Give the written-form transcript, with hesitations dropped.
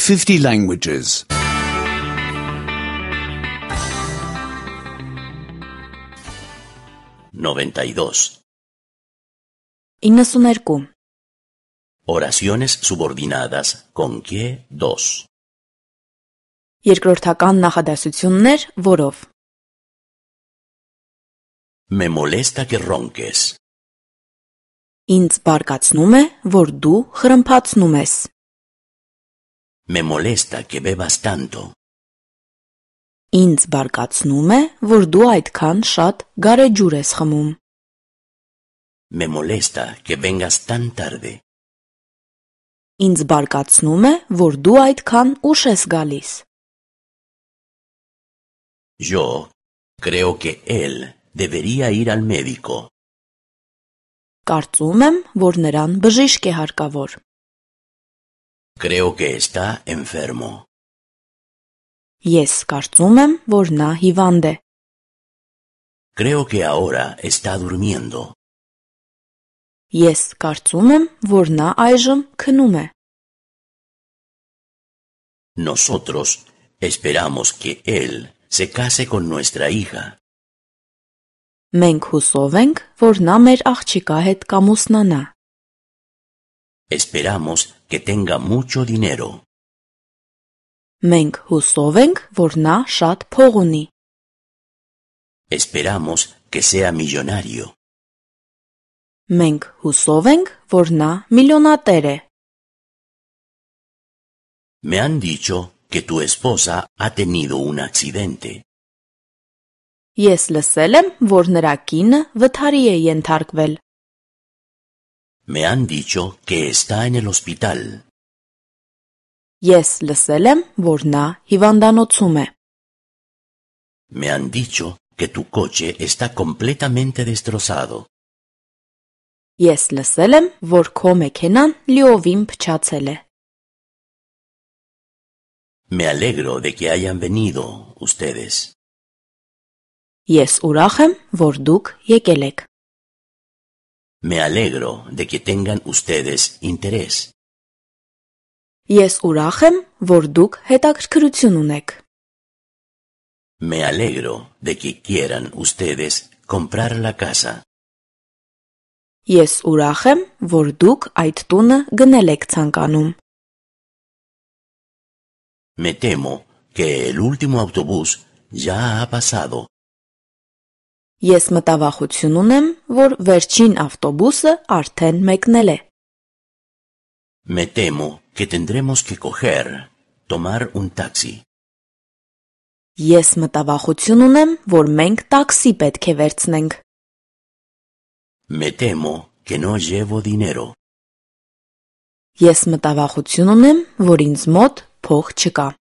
50 languages. 92. 92. Oraciones subordinadas con que dos. Երկրորդական նախադասություններ, որով. Me molesta que ronques. Ինձ բարկացնում է, որ դու խրմփացնում ես. Me molesta que bebas tanto. Ինձ բարկացնում է, որ դու այդքան շատ գարեջուր ես խմում. Me molesta que vengas tan tarde. Ինձ բարկացնում է, որ դու այդքան ուշ ես գալիս. Yo creo que él debería ir al médico. Կարծում եմ, որ նրան բժիշկ է հարկավոր. Creo que está enfermo. Ես կարծում եմ, որ նա հիվանդ է. Creo que ahora está durmiendo. Ես կարծում եմ, որ նա այժմ քնում է. Nosotros esperamos que él se case con nuestra hija. Մենք հուսով ենք, որ նա մեր աղջիկա հետ կամուսնանա. Esperamos que tenga mucho dinero. Մենք հուսով ենք, որ նա շատ փող ունի. Esperamos que sea millonario. Մենք հուսով ենք, որ նա միլիոնատեր է. Me han dicho que tu esposa ha tenido un accidente. Ես լսել եմ, որ նրա կինը վթարի է ենթարկվել. Me han dicho que está en el hospital. Ես լսել եմ, որ նա հիվանդանոցում է. Me han dicho que tu coche está completamente destrozado. Ես լսել եմ, որ քո մեքենան լիովին փչացել է. Me alegro de que hayan venido ustedes. Ես ուրախ եմ, որ դուք եկել եք. Me alegro de que tengan ustedes interés. Ես ուրախ եմ, որ դուք հետաքրքրություն ունեք. Me alegro de que quieran ustedes comprar la casa. Ես ուրախ եմ, որ դուք այդ տունը գնել եք ցանկանում. Me temo que el último autobús ya ha pasado. Ես մտավախություն ունեմ, որ վերջին ավտոբուսը արդեն մեկնել է. Me temo que tendremos que tomar un taxi. Ես մտավախություն ունեմ, որ մենք տաքսի պետք է վերցնենք. Me temo que no llevo dinero. Ես մտավախություն ունեմ, որ ինձ մոտ փող չկա.